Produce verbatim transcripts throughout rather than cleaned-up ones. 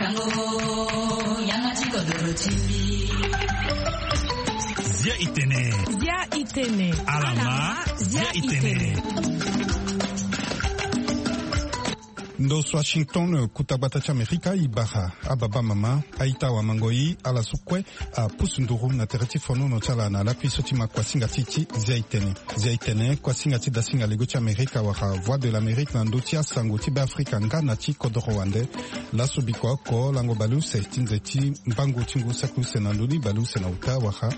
Zia itene. Zia itene. Alama. Zia itene. Ndo so Washington, kuta gbata ti Amerika, e bara ababa mama, a-ita, awamango-i, ala so kue apusu nduru na tere ti fonono ti ala na lakui so ti ma kuasinga ti ti Zia itene. Zia itene, kuasinga ti dasinga lego ti Amerika wala Voix de l'Amérique na ndö ti asango ti Beafrika nga na ti kodoro wande. Laso bikua oko lango baleuse ti nze ti mbangu ti ngu saki use na ndö ni baleuse na uta wala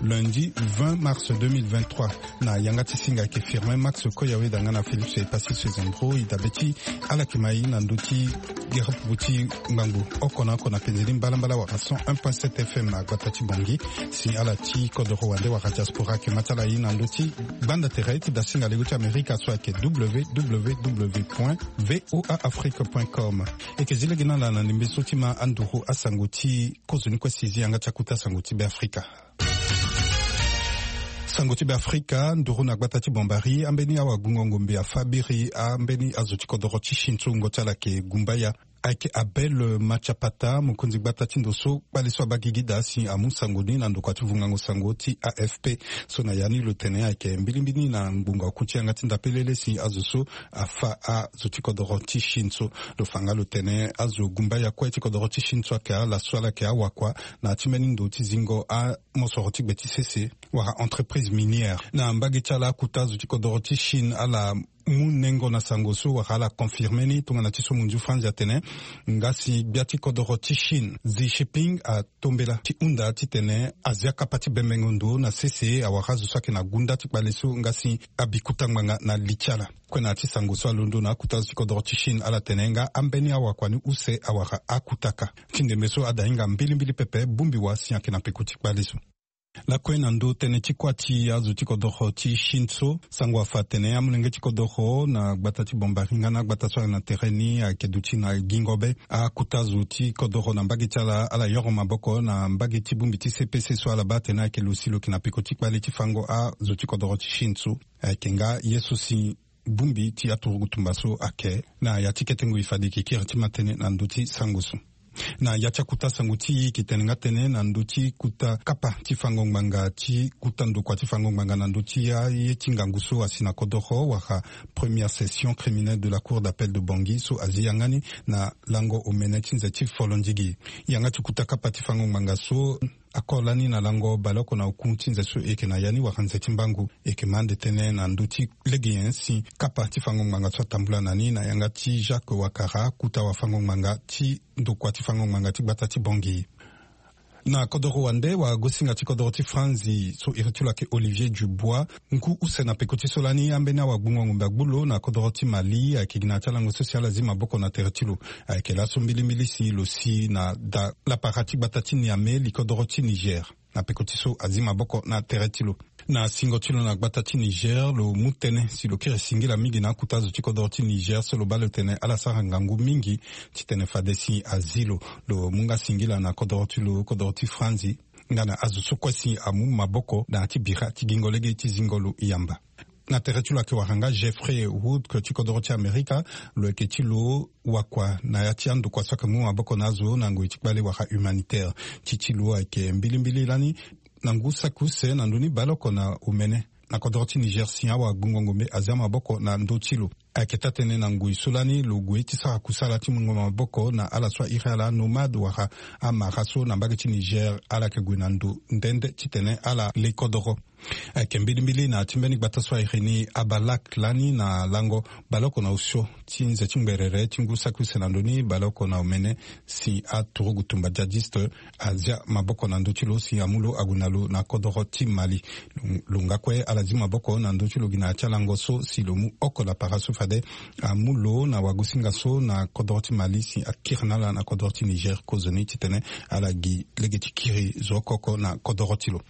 lundi vingt mars deux mille vingt-trois. Na yanga ti singa ayeke Firmin Max Koyaweda nga na Félix Epassi Sezembro, e dabe ti ala yeke ma e na ndö ti gerepuku ti ngbangbo oko na oko na penze ni mbalambala wala cent un point sept F M na gbata ti Bangui. Si ala ti kodoro wande wala diaspora ayeke ma ti ala e na ndö ti gbanda tere ti dasinga lego ti Amerika so ayeke W W W point V O A Afrique point com. E yeke zi lege na ala na ndembe so ti ma anduru asango ti kozoni kue si e zi yanga ti akuta sango ti Beafrika. Sango ti Beafrika, nduru na gbata ti Bambari, ambeni awagbungo ngombe afa biri ambeni azo ti kodoro ti Chine so wungo ti ala ayeke gumbaya. Ayeke Abel Machapata, mokonzi gbata ti ndo so kpale so abaa gigi daa si amu sango ni na ndokua ti vungango sango ti A F P. So na ya ni lo tene ayeke mbilimbili na ngbonga oku ti yanga ti ndapelele si azo so afa azo ti kodoro ti Chine so. Lo fa nga lo tene azo gumbaya kue ti kodoro ti Chine so ayeke ala so ala yeke awakua na ya ti mbeni ndo ti zingo amosoro ti gbe ti sese wala entreprise minière. Na mbage ti ala akuta azo ti kodoro ti Chine ala mu nengo na sango so wala ala confirme ni tongana ti so monzu Franzi atene. Nga si gbia ti kodoro ti Chine Xi Jinping atombela ti hunda titene azia kapa ti bembengo ndo na sese awara azo so ayeke na gunda ti kpale so nga si abi kuta ngbanga na li ti ala. Kue na ya ti sango so alondo na akuta azo ti kodoro ti Chine ala tene nga ambeni awakua ni use awara akutaka. Ti ndembe so ada hinga mbilimbili pepe bongbi wa si ayeke na peko ti kpale so. Lakue na ndö tënë ti kuâ ti azo ti kodoro ti Chine so, sango afa atene amolenge ti kodoro na gbata ti Bambari nga na agbata so ayeke na tere ni ayeke duti na gingo be. Akota zo ti kodoro na mbage ti ala, ala yoro maboko na mbage ti bongbi ti C P C so ala baa atene ayeke lo si lo yeke na peko ti kpale ti fango azo ti kodoro ti Chine so. Ayeke nga ye so si bongbi ti aturugu tumba so ayeke. Na ya ti kete ngoi fade e yeke kiri ti ma tënë na ndö ti sango so. Na ya ti akota sango ti e, e yeke tene nga tënë na ndö ti kota kapa ti fango ngbanga ti kota ndokua ti fango ngbanga na ndö ti aye ti ngangu so asi na kodoro wala première session criminelle de la Cour d'appel de Bangui so azi yanga ni na lango omene ti nze ti folondigi. Yanga ti kota kapa ti fango ngbanga so akore lani na lango baleoko na oku ti nze so e yeke na ya ni wala nze ti mbangu. E yeke ma ande tënë na ndö ti lege nyen si kapa ti fango ngbanga so atambula na ni na yanga ti Jacques Ouattara, kota wafango ngbanga ti ndokua ti fango ngbanga ti gbata ti Bangui. Na kodoro wande, wagosinga ti kodoro ti Franzi so iri ti lo ayeke Olivier Dubois, ngu use na peko ti so lani ambeni awagbungo ngombe agbu lo na kodoro ti Mali, ayeke gi na ya ti alango so si ala zi maboko na tere ti lo. Ayeke laso mbilimbili si lo si na da lapara ti gbata ti Niamey, li kodoro ti Niger. Na peko ti so azi maboko na tere ti lo. Na singo ti lo na gbata ti Niger, lo mu tënë si lo kiri singila mingi na akota zo ti kodoro ti Niger so lo baa lo tene ala sara ngangu mingi titene fade si azi lo. Lo mu nga singila na kodoro ti lo, kodoro ti Franzi, nga na azo so kue si amu maboko na ya ti bira ti gingo lege ti zingo lo yamba. Na tere ti lo ayeke wara nga Jeffrey Wood, ke ti kodoro ti Amerika. Lo yeke ti lo wakua na ya ti andokua so ayeke mu maboko na azo na ngoi ti kpale wala humanitaire. Ti ti lo ayeke mbilimbili lani na ngu saki use na ndö ni baleoko na omene na kodoro ti Niger si awagbungo ngombe azia maboko na ndö ti lo. Ayeke taa-tënë na ngoi so lani lo gue ti sara kusala ti mungo maboko na ala so airi ala nomade wala amara so na mbage ti Niger, ala yeke gue na ndo nde nde titene ala le kodoro. Ayeke mbilimbili na ya ti mbeni gbata so airi ni Abalak lani na lango baleoko na osio ti nze ti ngberere ti ngu saki use na ndö ni baleoko na omene si aturugu tumba djihadiste azia maboko na ndö ti lo si amu lo ague na lo na kodoro ti Mali. Lo nga kue ala zi maboko na ndö ti lo gi na ya ti alango so si lo mu oko lapara so fade amu lo na wagosinga so na kodoro ti Mali si akiri na ala na kodoro ti Niger kozoni titene ala gi lege ti kiri zo oko oko na kodoro ti lo.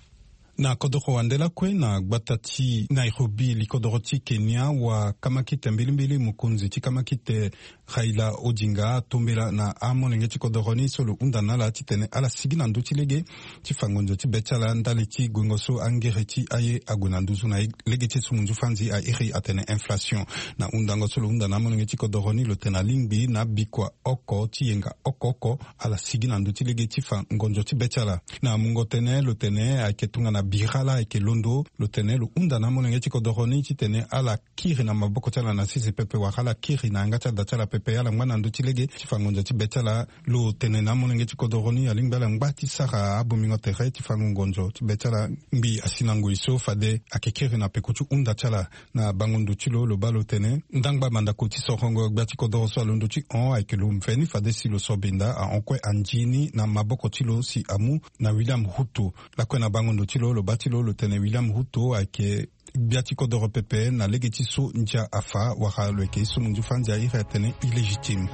Na kodoro wande lakue na gbata ti Nairobi, li kodoro ti Kenya, wa kamakite mbilimbili, mokonzi ti kamakite Raila Odinga atombela na amolenge ti kodoro ni so lo hunda na ala titene ala sigi na ndö ti lege ti fa ngonzo ti be ti ala ndali ti guengo so angere ti aye ague na nduzu na lege ti so munzu fanzi a iri atene inflation. Na hundango so lo hunda na amolenge ti kodoro ni, lo tene alingbi na abikua oko ti yenga oko oko ala sigi na ndö ti lege ti fa ngonzo ti be ti ala. Na mungo tënë lo tene ayeke tongana bira laa ayeke londo, lo tene lo hunda na amolenge ti kodoro ni titene ala kiri na maboko ti ala na sese pepe, wala ala kiri na yanga ti ada ti ala pepe, ala ngba na ndö ti lege ti fa ngonzo ti be ti ala. Lo tene na amolenge ti kodoro ni alingbi ala ngba ti sara abongbingo tere ti fango ngonzo ti be ti ala. Ngbii asi na ngoi so fade ayeke kiri na peko ti hunda ti ala. Na bango ndo ti lo, lo baa lo tene ndangba mandako ti sorongo gbia ti kodoro so alondo ti hon ayeke lo mveni fade si lo sobinda ahon kue anzi ni na maboko ti lo si amu na William Ruto. Lakue na bango ndo ti lo, lo baa ti lo lo tene William Ruto ayeke gbia ti kodoro pepe na lege ti so ndia afa, wala lo yeke ye so munzu fanzi a iri atene illégitime.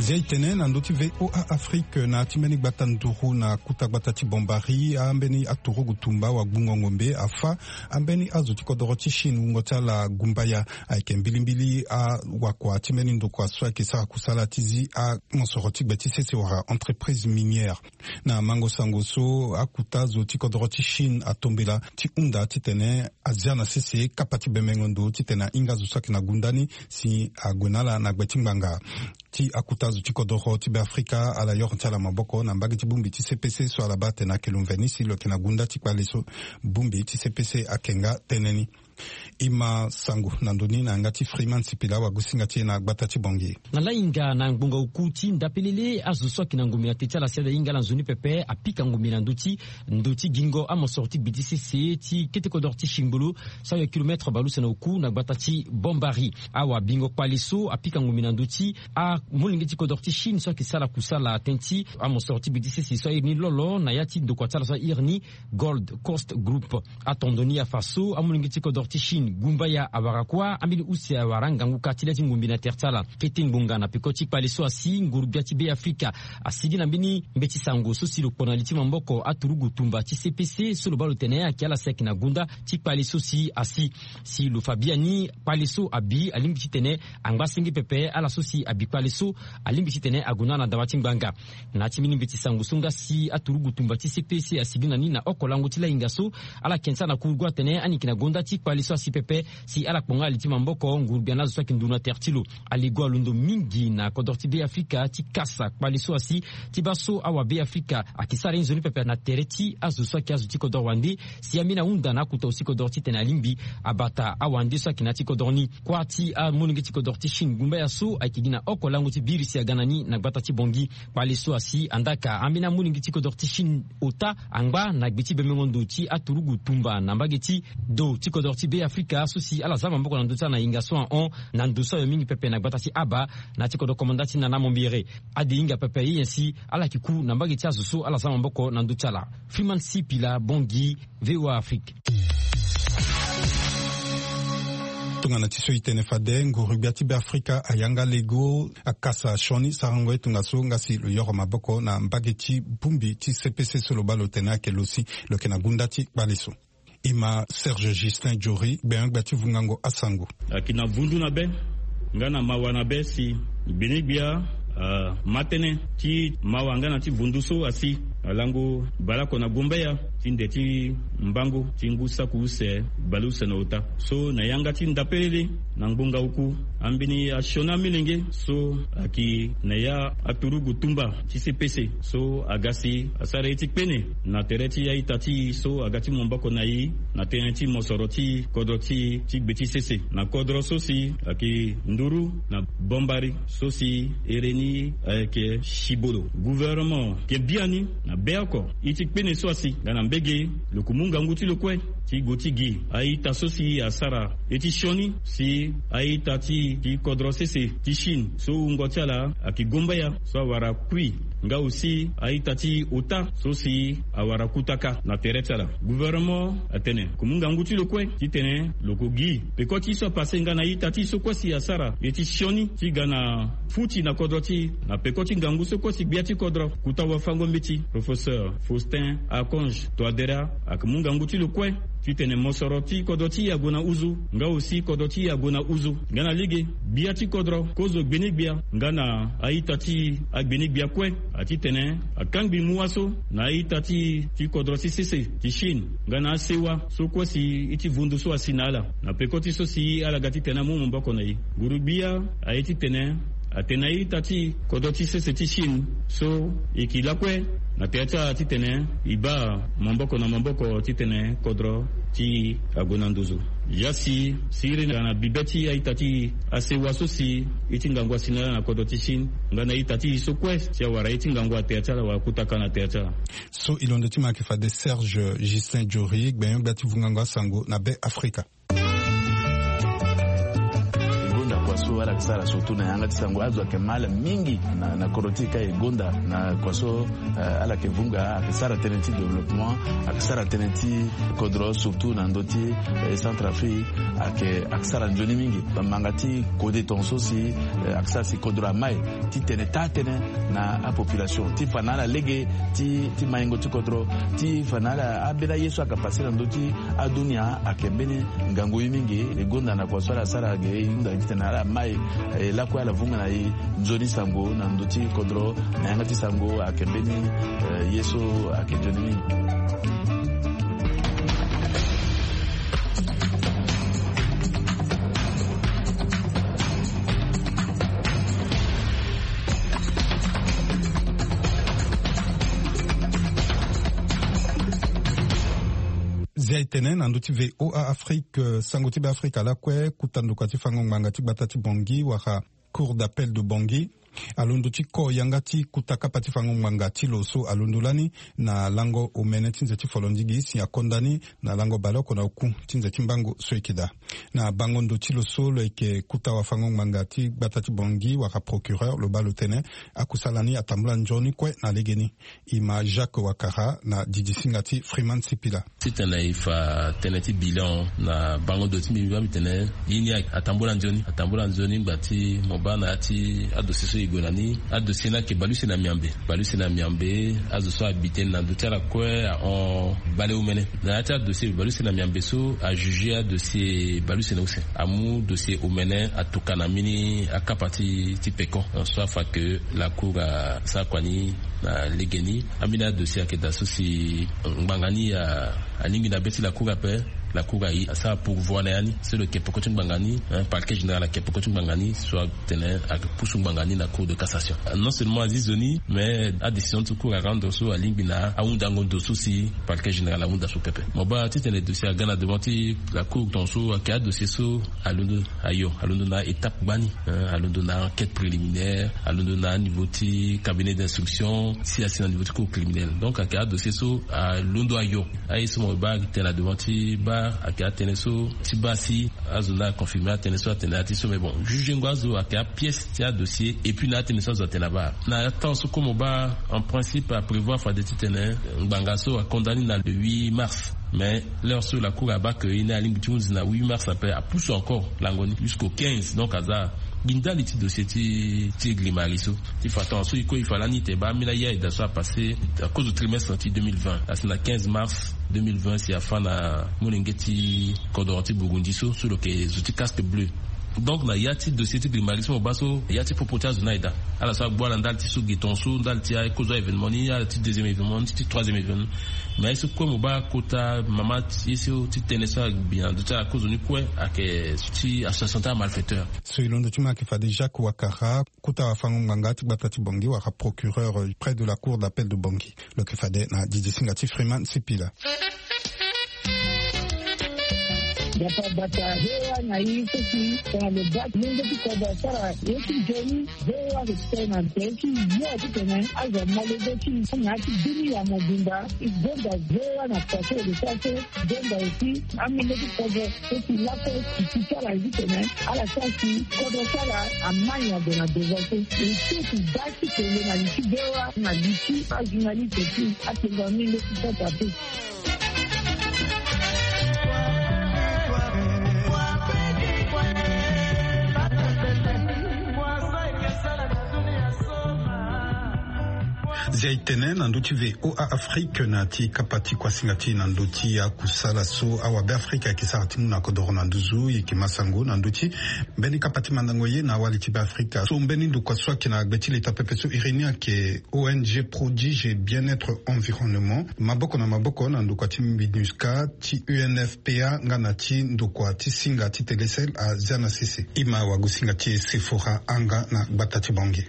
Zia e tene na ndö ti V O A Afrique, na ti mbeni gbata nduru na kuta gbata ti Bombari, ambeni aturugu tumba wagbungo ngombe afa ambeni azo ti kodoro ti Chine wungo ti ala gumbaya. Ayeke mbilimbili awakua ti mbeni ndokua so ayeke sara kusala ti zi amosoro ti gbe ti sese wala entreprise minière. Na mango sango so, akuta zo ti kodoro ti Chine atombela ti hunda titene azia na sese kapa ti bemengo ndo titene ahinga zo so ayeke na gunda ni si ague na ala na gbe ti ngbanga. Ti akuta zo ti kodoro ti Beafrika ala yoro ti ala maboko na mbage ti bongbi ti C P C so ala baa atene ayeke lo mveni si lo yeke na gunda ti kpale so. Bongbi ti C P C ayeke nga tënë ni. E ma sango na ndo ni na yanga ti Freeman Sipila wagosinga ti e na gbata ti Bangui. Na lahinga na ngbonga oku ti ndapelele, azo so ayeke na ngombe na te ti ala si ala hinga ala nzoni pepe apika ngombe na ndö ti ndo ti gingo amosoro ti gbe ti sese ti kete kodoro ti Chine ngbolo so ayeke kilometre baleuse na oku na gbata ti Bombari. Awa bingo kpale so apika ngombe na ndö ti amolenge ti kodoro ti Chine so ayeke sara kusala tënë ti amosoro ti gbe ti sese so a iri ni Lolo na ya ti ndokua ti ala so a iri ni Gold Coast Group. Atondo ni afa so amolenge ti kodoro ti Chine gumbaya awara kuâ ambeni use awara ngangu ka ti le ti ngombe na tere ti ala. Kete ngbonga na peko ti kpale so asi, nguru-gbia ti Beafrika asigi na mbeni mbeti sango so si lo kpo na li ti maboko aturugu tumba ti C P C so lo baa lo tene ayeke ala si ayeke na gunda ti kpale so si asi. Si lo fa biani, kpale so abi alingbi titene angba senge pepe. Ala so si abi kpale so alingbi titene ague na ala na dawa ti ngbanga. Na ya ti mbeni mbeti sango so nga si aturugu tumba ti C P C asigi na ni na oko lango ti lahinga so, ala yeke sara na kurugu atene ani yeke na gonda ti kpale so asi pepe. Si ala kpo nga ali ti maboko, nguru-gbia na azo so ayeke nduru na tere ti lo. Alego alondo mingi na kodro ti Beafrika ti kasa kpale so asi, ti baa so awa Beafrika ayeke sara ye nzoni pepe na tere ti azo so ayeke azo ti kodro wande. Si ambeni ahunda na akuta aussi kodro titene alingbi abata awande so ayeke na ya ti kodro ni. Kuâ ti amolenge ti kodro ti Chine gumbaya so ayeke gi na oko lango ti biri si aga na ni na gbata ti Bangui. Kpale so asi, andaa ka ambeni amolenge ti kodro ti Chine ota angba na gbe ti bemengo ndo ti aturugu tumba na mbage ti do ti kodro ti Beafrika so si ala za maboko na ndö ti ala na hinga so ahon na ndo so ayo mingi pepe na gbata ti Aba, na ya ti kodro komanda ti Nana Mombere. Ade hinga pepe ye nyen si ala yeke ku na mbage ti azo so ala za maboko na ndö ti ala. Freeman Sipila, Bangui, V O A Afrique. Tongana ti so e tene fade, nguru-gbia ti Beafrika ayanga lego akasa sioni sarango ye tongaso nga si lo yoro maboko na mbage ti bongbi ti C P C so lo baa lo tene ayeke lo si lo yeke na gunda ti kpale so. E ma Serge Justin Diori, gbenyo-gbia ti vungango asango. Ayeke na vundu na be nga na mawa na be si gbenyo-gbia, ah, ma tënë ti mawa nga na ti vundu so asi alango baleoko na gumbaya ti nde ti mbango ti ngu saki use baleuse na ota. So na yanga ti ndapelele, na ngbonga oku, ambeni asioni amolenge so ayeke na ya aturugu tumba ti C P C so aga si asara ye ti kpene na tere ti a-ita ti e so aga ti maboko na e na tënë ti mosoro ti kodro ti e ti gbe ti sese. Na kodro so si ayeke nduru na Bombari so si ere ni ayeke Sibolo. Gouvernement ayeke biani na be oko ye ti kpene so asi nga na Lege lo ko mu ngangu ti lo kue ti go ti gi a-ita so si asara ye ti sioni si a-ita ti ti kodro sese ti Chine so wungo ti ala ayeke gomba ya so awara kui nga aussi a-ita ti ota so si awara kutaka na tere ti ala. Gouvernement atene lo ko mu ngangu ti lo kue titene lo ko gi peko ti so apase nga na a-ita ti so kue si asara ye ti sioni ti ga na futi na kodro ti na peko ti ngangu so kue si gbia ti kodro kuta wafango mbeti. Professeur Faustin Archange Touadéra ayeke mu ngangu ti lo kue titene mosoro ti kodro ti e ague na uzu nga aussi kodro ti e ague na uzu nga na lege gbia ti kodro kozo gbeni gbia nga na a-ita ti agbeni gbia kue. Atitene akangbi mu wa so na a-ita ti ti kodro ti sese ti Chine nga na asewa so kue si ye ti vundu so asi na ala na peko ti so si ala ga titene amu maboko na e. Nguru-gbia aye titene atene a-ita ti kodro ti sese ti Chine so e yeke lakue na tere ti ala titene e baa maboko na maboko titene kodro ti e ague na nduzu. Ya si siriri na bibe ti a-ita ti asewa so si ye ti ngangu asi na ala na kodro ti Chine nga na a-ita ti e so kue si awara ye ti ngangu na tere ti ala wala kutaka na tere ti ala. So e londo ti mo ayeke fade Serge Justin Jory, gbenyo-gbia ti vungango asango na Be Afrika. E gonda kua so ala yeke sara surtout na yanga ti sango azo ayeke mal mingi na, na kodro ti e ka e gonda na kua so, eh, ala yeke vunga ayeke sara tënë ti développement, ayeke sara tënë ti kodro surtout na ndö ti, eh, Centrafrique, ayeke, ayeke sara nzoni mingi. Manga ti kode tongaso si, eh, ayeke sara si kodro amai titene taa tënë na apopulation ti fa na ala lege ti, ti maingo ti kodro, ti fa na ala ambeni aye so ayeke pase na ndö ti adunia ayeke mbeni ngangu ye mingi. E gonda na kua so ala sara ge e hunda titene ala mai, eh, lakue ala vunga na e nzoni sango na ndö ti kodro na yanga ti sango ayeke mbeni, eh, ye so ayeke nzoni mingi. Zia e tene na ndö ti V O A Afrique, eh, sango ti Be Afrika lakue, kuta ndokua ti fango ngbanga ti gbata ti Bangui wala Cour d'appel de Bangui alondo ti ko yanga ti kuta kapa ti fango ngbanga ti lo so alondo lani na lango omene ti nze ti folondigi si akonda ni na lango baleoko na oku ti nze ti mbango so e yeke daa. Na bango ndo ti lo so lo yeke kuta wafango ngbanga ti gbata ti Bangui wala procureur lo baa lo tene akusala ni atambula nzoni kue na legeni. E ma Jacques Wakara na didisinga ti Freeman Sipila. Titene e fa tënë ti bilan na bango ndo ti mbi, mbi baa mbi tene ye ni atambula nzoni, atambula nzoni ngba ti mo baa na ya ti adossier so e gue na ni. Adossier ni ayeke baleuse na miambe, baleuse na miambe. Azo so abite ni na ndö ti ala kue ahon baleomene. Na ya ti adossier baleuse na miambe so, ajuge adossier baleuse na use, amu dossier omene atuka na mbeni akapa ti, ti peko. Donc so afa ke la cour asara kua ni na legeni. Ambeni adossier ayeke daa so si ngbanga ni a, alingbi na be ti la cour ape. La cour aye asara pourvoi na ya ni so lo yeke peko ti ngbanga ni, hein, parquet général ayeke peko ti ngbanga ni so atene ayeke pusu ngbanga ni na cour de cassation. Non seulement azi zo ni, mais adécision ti cour arendre so alingbi na ahundango ndo so si parquet général ahunda so pepe. Mo baa titene dossier aga na devant ti la cour tongaso ayeke adossier so alondo ayo, alondo na étape gbani, hein, alondo na enquête préliminaire, alondo na niveau ti cabinet d'instruction, si asi na niveau ti cour criminelle. Donc ayeke adossier so alondo ayo. Aye so mo baa ayeke tene na devant ti baa ayeke atënë so ti baa si azo ni aconfirme atënë so atene na ya ti so. Mais bon, jugengo azo ayeke apièce ti adossier et puis na atënë so azo atene na baa. Na temps so kue mo baa en principe aprévoir fade titene ngbanga so akondani na le huit mars. Mais l'heure so la cour abaa ke ye ni alingbi ti hunzi na huit mars ape, apusu encore lango ni jusqu'au quinze. Donc aza gi ndali ti dossier ti, ti Grimari so. Ti fa tongaso e kue e fa lani tene e baa ambeni aya eda so apasse na kozo trimestre ti deux mille vingt asi na quinze mars deux mille vingt si afa na molenge ti kodoro ti Burundi so, so lo yeke zo ti casque bleu. Donc na ya ti dossier ti Grimari so mo baa so ya ti popo ti azo ni aye daa. Ala so agbu ala ndali ti so ge tongaso, ndali ti akozo a-événement ni, ala ti deuxième événement ni, ti troisième événement. Mais aye so kue mo baa kota mama ti ye so ti tënë so agbi na ndö ti ala kozo ni kue ayeke ti association ti amalfaiteur. So e londo ti mo ayeke fade Jacques Wakara, kota wafango ngbanga ti gbata ti Bangui wala procureur près de la cour d'appel de Bangui. Lo yeke fade na didisinga ti Freeman Sipila. Yapa bata voa na i so si tongana lo baa ti lenge ti kodro asara ye ti nzoni. Voa lo tene na tere ti yo titene azo amolenge ti na ya ti bini ya mobimba. Igonda voa na poto de sa so. Igonda aussi amolenge ti kodro so si laso iti ti ala titene ala sara si kodro ti ala amai ado na devant so. Ete ti baa ti kele na li ti voa na li ti ajournaliste ti atengo amolenge ti sata pe. Zia e tene na ndö ti V O A Afrique na ya ti kapa ti kuasinga ti e na ndö ti akusala so awabe Afrika ayeke sara ti mu na kodoro na nduzu. E yeke ma sango na ndö ti mbeni kapa ti mandango ye na awali ti Beafrika so mbeni ndokua so ayeke na gbe ti leta pepe so iri ni ayeke O N G Prodige Bien-être Environnement, maboko na maboko na ndokua ti MINUSCA, ti U N F P A nga na ti ndokua ti singa ti Telecel azia na sese. Ima wagosinga ti e Sephora Anga na gbata ti Bangui.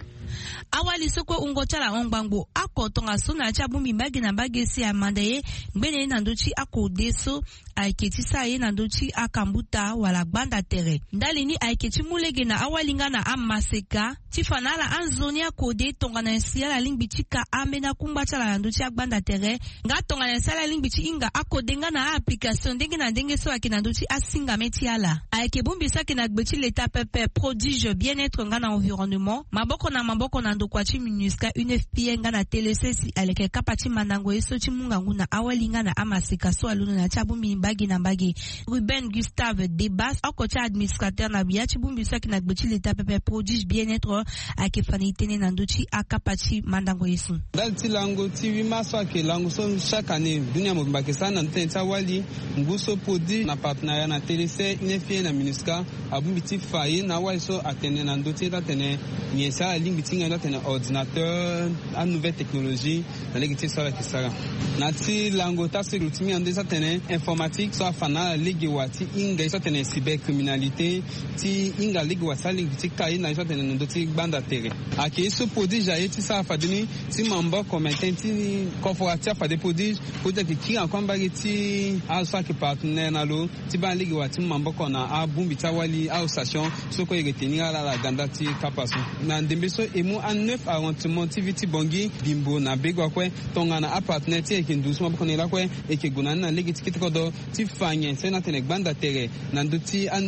Awali so kue wungo ti ala ahon ngbangbo oko tongaso na ya ti abongbi mbage na mbage si amanda ye ngbene ye na ndö ti akode so ayeke ti sara ye na ndö ti akambuta wala gbanda tere. Ndali ni ayeke ti mu lege na awali nga na amaseka ti fa na ala anzoni akode tongana nyen si ala lingbi ti ka ambeni akungba ti ala na ndö ti agbanda tere. Nga tongana nyen si ala lingbi ti hinga akode nga na a-application ndenge na ndenge so ayeke na ndö ti asingame ti ala. Ayeke bongbi so ayeke na gbe ti leta pepe Prodige Bien-être nga na Environnement, maboko na maboko na ndokua ti MINUSCA, U N F P A nga na Telecel si aleke kapa ti mandango ye so ti mu ngangu na awali nga na amaseka so alondo na ya ti abongbi mbage na mbage. Ruben Gustave Debas, oko ti administrateur na ya ti bongbi so ayeke na gbe ti leta pepe Prodige Bien-être, ayeke fa na e tënë na ndö ti akapa ti mandango ye so. Ndali ti lango ti huit mars so ayeke lango so chaque année dunia mobimba ayeke sara na ndö ti tënë ti awali. Ngu so Prodige na partenariat na Telecel, U N F P A na MINUSCA abongbi ti fa ye na awali so atene na ndö ti ye ti atene nyen si ala lingbi ti hinga ye ti atene ordinateur, anouvelle technologie, na lege ti so ala yeke sara. Na ya ti lango ti asekuru ti mingi na ndö ti so atene informatique so afa na ala lege wa ti hinga ye so atene cybercriminalité, ti hinga lege wa ti alingbi ti ka ye na ye so atene na ndö ti gbanda tere. Ayeke ye so Prodige aye ti sara fade ni ti maboko, maintien ti kofora ti afade Prodige. Prodige ayeke kiri encore mbage ti azo so ayeke partenaire na lo ti baa lege wa ti mu maboko na abongbi ti awali, association so kue e yeke tenir ala na ganda ti kapa so. Na ndembe so e mu a neuf arrondissement ti ville ti Bangui, Bimbo na Begua kue, tongana apartenaire ti e ayeke nduzu so maboko na e lakue, e yeke gue na ni na lege ti kete kodro ti fa nyen si na atene gbanda tere na ndö ti a-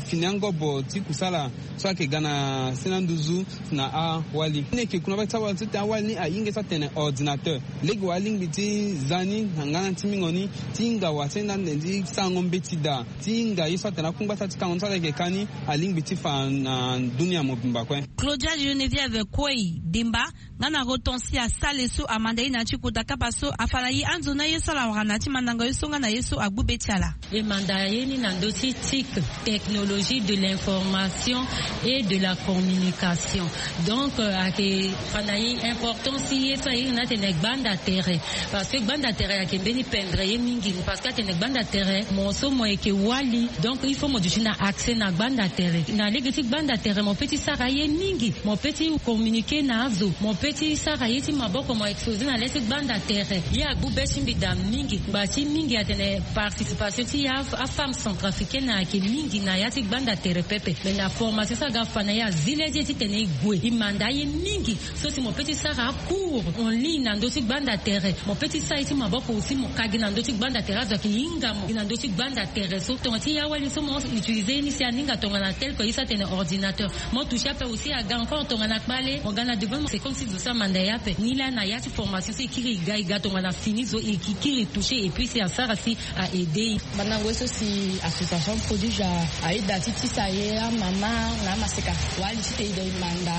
fini angobo ti kusala so ayeke ga na sena nduzu na awali ni. E yeke kuna mbage ti awali so tene awali ni ahinga ye so atene ordinateur. Lege wa alingbi ti za ni na ngana ti mingo ni, ti hinga wa ti enda ande ti sarango mbeti daa, ti hinga ye so atene akungba ti ala ti kango ni so ala yeke ka ni, alingbi ti fa na dunia mobimba kue. Claudia Geneviève Kuei Demba nga na Hortensia Sale so amanda ye na ya ti kota kapa so afa na e anzoni aye so ala wara na ya ti mandango ye so nga na ye so agbu be ti ala. E manda ye ni na ndö ti TIC, technologie de l'information et de la communication. Donc, euh, ayeke fa na e importance ti ye so aye ni na atene gbanda tere. Parce que gbanda tere ayeke mbeni pendre ye mingi. Parce que atene gbanda tere, mo so mo yeke wali. Donc, il faut mo duti na accès na gbanda tere. Na lege ti gbanda tere, mo peut ti sara ye mingi. Mo peut ti communiquer na azo. Mo peut ti sara ye ti maboko, mo exposer na le ti gbanda tere. Ye agbu be ti mbi daa mingi. Ngba ti mingi atene participation ti ya afemme centrafricaine ayeke mingi na ya ti gbanda tere pepe. Mais na formation so aga fa na ye azi le ti e titene e gue. E manda ye mingi. So si mo peut ti sara acours en ligne na ndö ti gbanda tere, mo peut ti sara ye ti maboko aussi, mo ka gi na ndö ti gbanda tere, azo ayeke hinga mo gi na ndö ti gbanda tere. So tongana ti ya wali so mo utiliser ye ni si aninga tongana tel que ye so atene ordinateur. Mo toucher ape aussi aga encore tongana kpale, mo ga na devant, c'est comme si zo so amanda ye ape. Ni laa na ya ti formation so e kiri e ga, e ga tongana fini zo e kiri e toucher et puis si asara si a aider. Mandango ye so si association Prodige a- aye daa ti tisa ye amama na amaseka. Wali titene e manda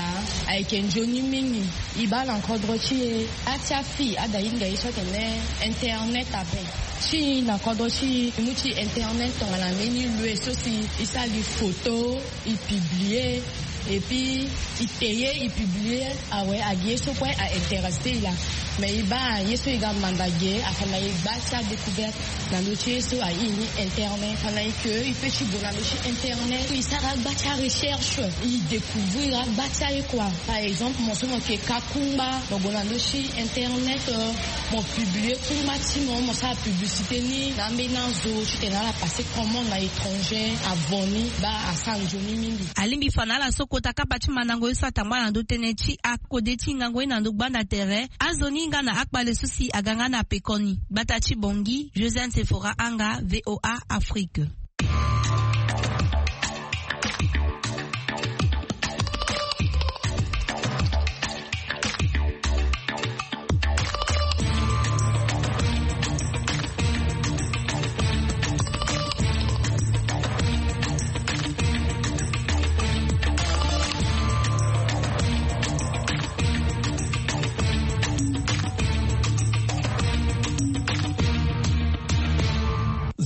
ayeke nzoni mingi. E baa na kodro ti e, a ti afille ada hinga ye so atene internet ape. Ti e na kodro ti e, e mu ti internet tongana mbeni lois so si e sara gi photo, e publier. Et puis, i te ye i publier awe agi ye so kue a intéressé i laa. Mais i baa ye so i ga manda ge afa na i gba ti adécouverte na ndö ti ye so aye ni internet. Fa na i ke i pe ti gue na ndö ti internet i sara agba ti arecherche, i découvrir agba ti aye kua. Par exemple mo so mo ke ka kungba, mo gue na ndö ti internet, mo publier kungba ti mo, mo sara publicité ni na ambeni azo titene ala passer commande na étranger avant ni. Baa asara nzoni mingi. Alingbi fa na ala so kota kapa ti mandango ye so atangba na ndö tënë ti akode ti hingango ye na ndö gbanda tere. Azo ni hinga na akpale so si aga nga na pekoni gbata ti bongi. Josiane Sephora Anga, VOA Afrique.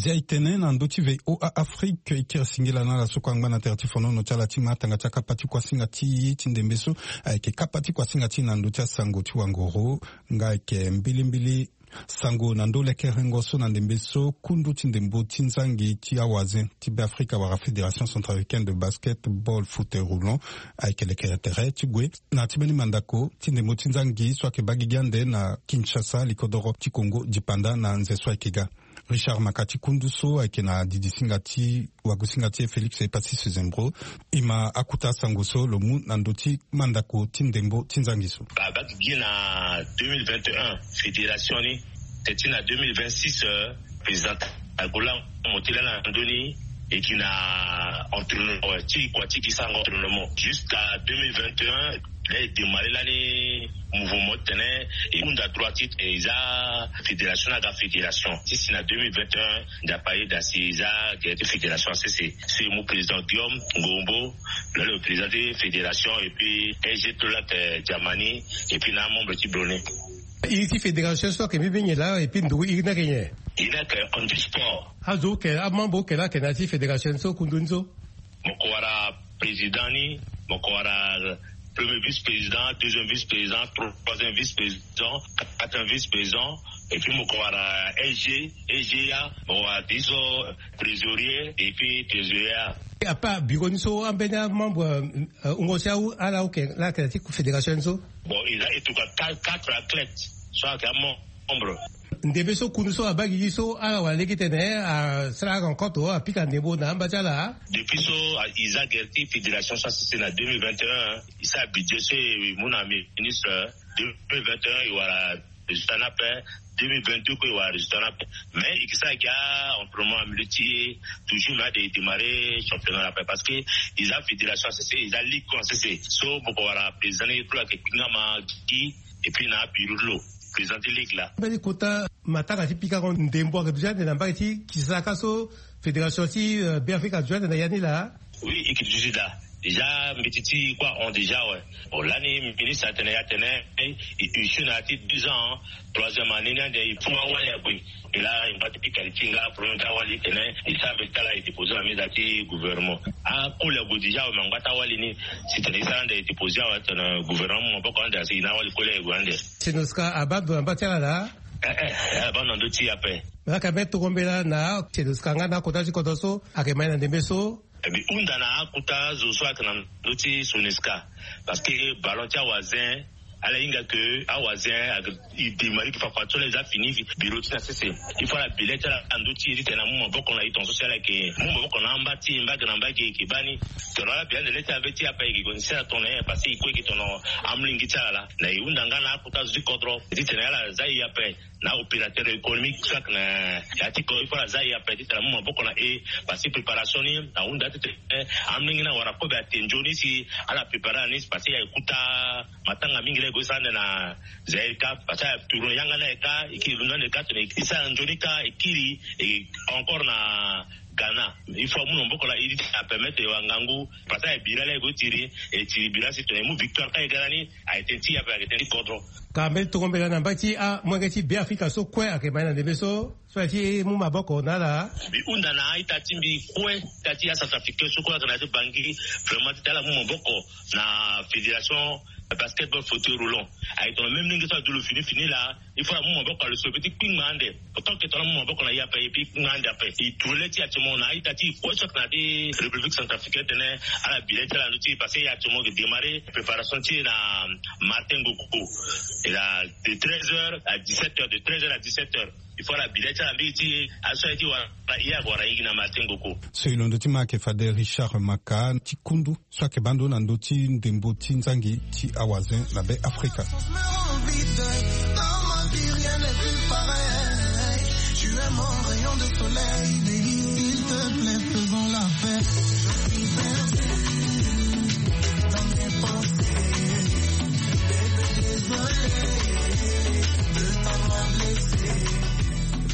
Zia e tene na ndö ti VOA Afrique, e kiri singila na ala so kue angba na tere ti fonono ti ala ti ma tanga ti akapa ti kuasinga ti e ti ndembe so. Ayeke kapa ti kuasinga ti e na ndö ti asango ti wangoro. Nga ayeke mbilimbili sango na ndö lekerengo so na ndembe so kundu ti ndembo ti nzangi ti awazen ti Beafrika wala Fédération Centrafricaine de Basketball Fauteuil Roulant ayeke lekere tere ti gue na ti mbeni mandako ti ndembo ti nzangi so ayeke baa gigi ande na Kinshasa, likodoro ti Congo dipanda na nze so ayeke ga. Richard Makati kundu so ayeke na didi singa ti wagu singa ti e Félix Epassis Sezembro. E ma akuta sango so lo mu na ndö ti mandako ti ndembo ti nzangi so. Abaa gigi na deux mille vingt et un, fédération ni te ti na deux mille vingt-six, président agola mo ti laa na ndö ni e gi na entraînement ti kua ti gi sara entraînement jusqu'à deux mille vingt et un. Là e démarrer lani mouvement ti tene e hunda droit ti e za fédération na aga fédération ti si na deux mille vingt et un. Nzapa ayeda si e za gere ti fédération sese. So e mu président Guillaume Ngombo, là le président de fédération, et puis S G Tolak, euh, Djamani, et puis na membre ti Brone. Iri ti fédération so ayeke mbeni nyen laa, et puis ndugu iri ni ayeke nyen? Iri ni ayeke Andy Sport. Azo oke, amembre oke laa ayeke na ya ti fédération so kundu ni so? Mo ko wara président ni, mo ko wara premier vice-président, deuxième vice-président, troisième vice-président, quatrième vice-président, et puis mo ko wara S G, S G A, mo wara ti so trésorier, et puis trésorier. Apa bureau ni so ambeni amembre, euh, wungo ti awu ala oke laa ayeke na ti fédération ni so? Bon, e za e tuka quatre, quatre athlètes so ayeke amembre. Ndembe so kundu so abaa gigi so ala wara lege titene asara rencontre, apika ndembo na amba ti ala. Depuis so e za gere ti fédération so asese na deux mille vingt et un, e sara budget so e mu na ministre. Deux mille vingt et un e wara résultat ni ape. Deux mille vingt-deux kue e wara résultat ni ape. Mais e ke sara gi entraînement en milieu ti e toujours, mais ade e démarrer championnat ni ape parce que e za fédération asese, e za ligue kue asese. So mo ko wara président ni kue ayeke kpingama gi. Et puis na abureau ti lo, président ti ligue laa. Mbeni kota matanga ti pikango ndembo ayeke duti ande na mbage ti Kisaka so fédération ti, euh, Beafrika aduti ande na ya ni laa? Oui, e yeke duti daa. Déjà mbeti ti e kue ahon déjà awe. Bon, lani ministre atene, atene e, e, e sio na ya ti deux ans, troisième année ni ande e fo awali ague. E laa e ngba ti pika li ti e nga problème ti awali titene e sara mbeti ti ala e déposer na meza ti gouvernement. Akoli ague déjà awe, me angba ti awali ni. Si tene e sara ande e déposer awe titene gouvernement mu maboko ande, asi e na awali koli aye gue ande. Senoska abaa ndo na mba ti ala laa? Eh, eh, abaa ndo na ndö ti e ape. Me laka mbeni tongo mbela na Senoska nga na akota ti kodro so ayeke ma e na ndembe so. E bi hunda na akota zo so ayeke na ndö ti Senoska. Parce que ballon ti awazin, ala hinga ke awazin ayeke, e démarrer gi fafa ti so la e za fini bureau ti e na sese. Il faut ala bi le ti ala na ndö ti e titene amu maboko na e tongaso si ala yeke mu maboko na amba ti e mbage na mbage e yeke baa ni. Tongana ala bi ande le ti ala be ti e ape e yeke gue na sese na tongana nyen? Parce que e kue e yeke tongana amolenge ti ala laa. Na e hunda nga na akota zo ti kodro titene ala za e ape. Na opérateur économique so ayeke na ya ti kodro, il faut ala za e ape titene amu maboko na e. Parce que préparation ni ahunda titene amolenge ni awara kobe ate nzoni si ala préparer ala ni, parce que e kuta matanga mingi laa e gue e sara ande na Zaïre kâ, parce que atourne yanga ni aye kâ, e kiri londo ande kâ titene e sara nzoni kâ e kiri e encore na Ghana. Il faut amu na maboko na e ti titene apermettre e wara ngangu, parce que aye bira laa e gue e tiri, e tiri bira si titene e mu victoire kâ e ga lani. Aye tënë ti e ape ayeke tënë ti kodro. Ka mbeni tongo mbela na mbage ti amolenge ti Beafrika so kue ayeke ma e na ndembe so. So aye ti mu maboko na ala. Mbi hunda na a-ita ti mbi kue, ita ti a-centrafricain so kue ayeke na ya ti Bangui, vraiment ti tene ala mu maboko na fédération basketball fauteuil roulant. Aye tongana même ndenge so adu lo fini fini laa, il faut ala mu maboko na lo so, e peut ti kpingba ande. Autant que tongana amu maboko na e ape, e peut ti kpingba ande ape. E tule ti actuellement na a-ita ti e kue so ayeke na ya ti République centrafricaine titene ala bi le ti ala na ndö ti e, parce que e actuellement ayeke démarrer préparation ti e na Martin Ngoko. Et là, de treize heures à dix-sept heures, de treize heures à dix-sept heures. Il faut ala bi le ti ala mingi ti aso aye ti wara, e ayeke wara e gi na Martin Ngoko. So e londo ti ma ayeke fade Richard Maka ti kundu so ayeke baa ndo na ndö ti ndembo ti nzangi ti awazen na be Afrika.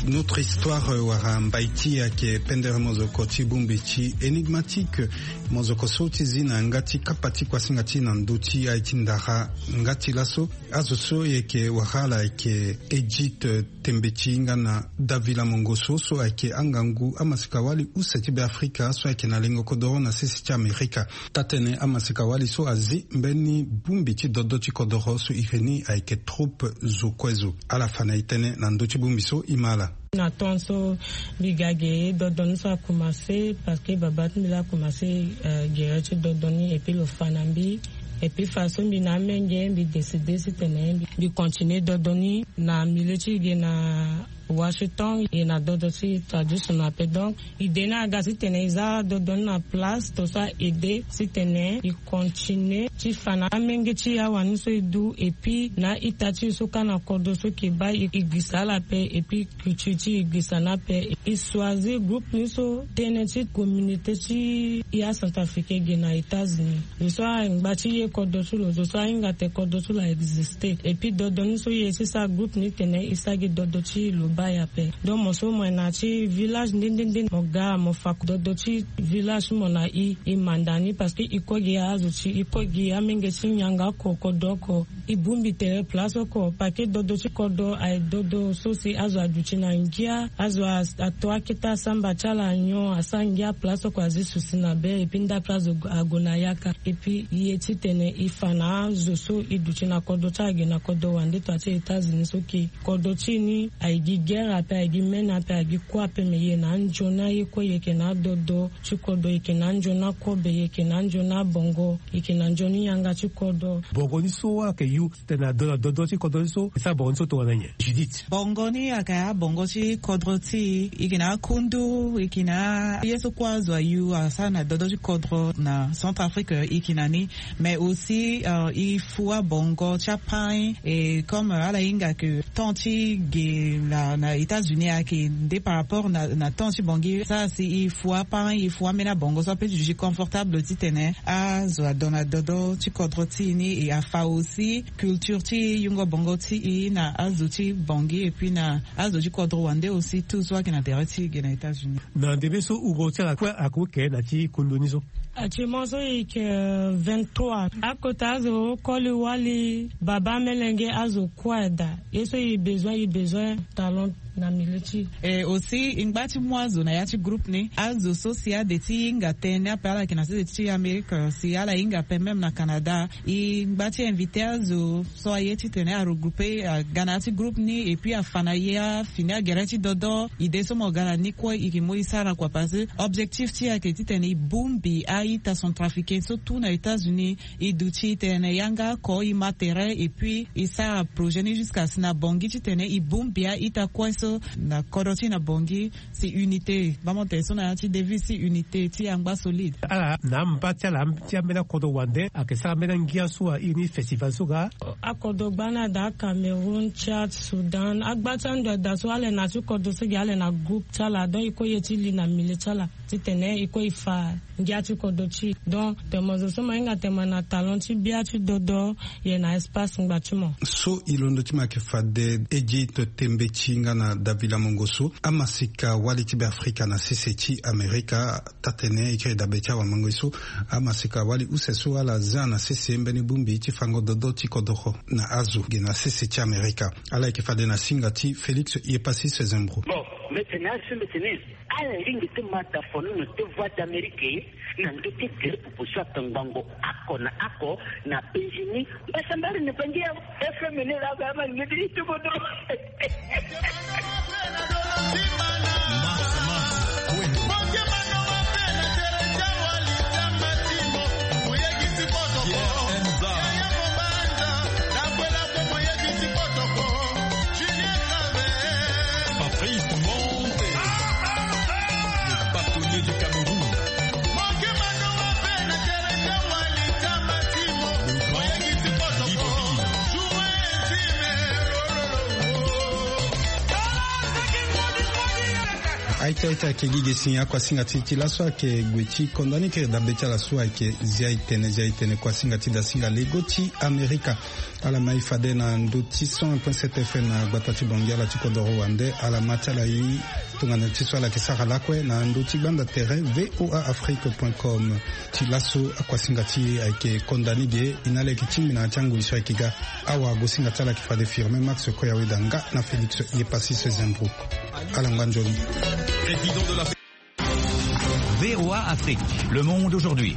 Notre histoire, euh, wara mbai ti e ayeke pendere mozoko ti bongbi ti Énigmatique. Mozoko so ti zi na yanga ti kapa ti kuasinga ti e na ndö ti aye ti ndara. Nga ti laso, azo so e yeke wara ala ayeke Edith, euh, Tembeti nga na Davila Mongoso so ayeke angangu amasika-wali use ti Beafrika so ayeke na lengo kodoro na sese ti Amerika. Taa-tënë amasika-wali so azi mbeni bongbi ti dodo ti kodoro so iri ni ayeke Troupe Zo Kue Zo. Ala fa na e tënë na ndö ti bongbi so e ma ala. Na temps so mbi ga ge, dodo ni so akomanse parce que babâ ti mbi laa akomanse, euh, gere ti dodo ni, et puis lo fa na mbi. Et puis façon mbi na amenge, mbi décide titene mbi, mbi continue dodo ni na milieu ti e ge na Washington, e na dodo ti traditionnel ape. Donc idée ni aga titene e za dodo ni na place to so a aide titene e continue ti fa na amenge ti e awani so e du, et puis na a-ita ti e so kâ na kodro so e yeke baa e, e girisa ala ape, et puis culture ti e e girisa ni ape. E choisir groupe ni so tënë ti communauté ti e a-Centrafricain e ge na États-Unis. Zo so angba ti ye kodro ti lo, zo so ahinga tene kodro ti lo a existe. Et puis dodo ni so e ye ti sara groupe ni tene e sara gi dodo ti lo baa e ape. Donc mo so mo yeke na ya ti village nde nde nde, mo ga mo fa dodo ti village ti mo na e, e manda ni, parce que e kue gi azo ti e, e kue gi amenge ti nyangaoko, kodro oko. E bongbi tere place oko, parce que dodo ti kodro aye dodo so si azo aduti na ngia, azo a, ato akete asamba ti ala nyon, asara ngia place oko, azi susi na be, et puis ndape azo ague na yaka. Et puis e ye titene e fa na azo so e duti na kodro ti ala ge na kodro wande, to ati États-Unis so e yeke kodro ti e ni aye gi guerre ape, aye gi mene ape, aye gi kue ape, me e yeke na anzoni aye kue, e yeke na adodo ti kodro, e yeke na anzoni akobe, e yeke na anzoni abongo, e yeke na nzoni yanga ti kodro. Bongo ni so ayeke yu titene ado na dodo ti kodro ni so, e sara bongo ni so tongana nyen, Judith? Bongo ni ayeke abongo ti kodro ti e, e yeke na akundu, e yeke na aye so kue azo ayu asara na dodo ti kodro na Centrafrique, e yeke na ni. Mais aussi, euh, e fu abongo ti aparin, et comme, euh, ala hinga ke temps ti ge na, na États-Unis ayeke nde par rapport na, na temps ti Bangui. Sara si e fu aparin, e fu ambeni abongo so ape ti duti confortable titene azo ado na dodo ti kodro ti e ni, e afa aussi culture ti yungo bongo ti e na azo ti Bangui, et puis na azo ti kodro wande aussi, tout so ayeke na tere ti e ge na États-Unis. Na ndembe so uro ti ala kue ayeke ke na ti kundu ni so? Actuellement so e yeke, euh, vingt-trois. Akota azo koli wali, babâ, melenge, azo kue ada. Ye so e besoin, e besoin talent na milieu ti e. Et aussi e ngba ti mu azo na ya ti groupe ni. Azo so si ade ti hinga tënë ape, ala yeke na sese ti Amérique, si ala hinga ape même na Canada, e ngba ti invité azo so aye titene aregroupe, aga na ya ti groupe ni, et puis afa na e afini agere ti dodo. Idée so mo ga na ni kue e yeke mu e sara kua, parce que objectif ti e ayeke titene e bongbi a-ita centrafricain so tout na États-Unis. E duti tene yanga oko e ma tere, et puis e sara projet ni jusqu'à si na Bangui titene e bongbi a-ita kue so na kodro ti e na Bangui. Si unité, bamo tene so na ya ti devise ti unité ti angba solide. Ala na amba ti ala ti ambeni akodro wande ayeke sara ambeni angia so a iri ni festival so ga. Akodro gbani ada, Cameroun, Tchad, Soudan, agba ti ando ada so ala yeke na ya ti kodro so gi, ala yeke na groupe ti ala, donc e kue e ye ti li na milieu ti ala titene e kue e fa ngia ti kodro ti e. Donc tene mo zo so mo hinga tene mo na talent ti bia ti dodo, e yeke na espace ngba ti mo. So e londo ti mo ayeke fade Edith Tembeti nga na Davila Mongoso, amasika wali ti Beafrika na sese ti Amerika. Taa-tënë e kiri dabe ti awamango ye so, amasika wali use so ala zia na sese mbeni bongbi ti fango dodo ti kodoro na azo ge na sese ti Amerika. Ala yeke fade na singa ti Félix Yepassis Sezembro. Bon, Mbetene asu mbetene. Ala lingbi ti ma da fonono ti voie d'amérique na ndö ti gere pupu so atongbango ako na ako na benjini. Mbasambari na bangi ya fm ne la ba ma ngedi ti bodo. Patrice Monte, le bâtonnier du Cameroun. Aita aita ayeke gi ge si akuasinga ti ti laso ayeke gue ti konda ni kiri dabe ti ala so ayeke zia etene zia etene kuasinga ti dasinga lego ti amerika. Ala ma e fade na ndö ti cent un point sept fm na gbata ti bongi ala ti kodoro wande ala ma ti ala ye. Tongana ti so ala yeke sara lakue na ndö ti gbanda tere voa afrique point com. Ti laso akuasinga ti e ayeke konda ni ge. E na ala yeke tingbi na ya ti angoi so ayeke ga. Awa gosinga ti ala yeke fade firme max koya weda nga na félix. Ye passis zembro. Ala ngba nzoni. Président de la voa afrique, le monde aujourd'hui.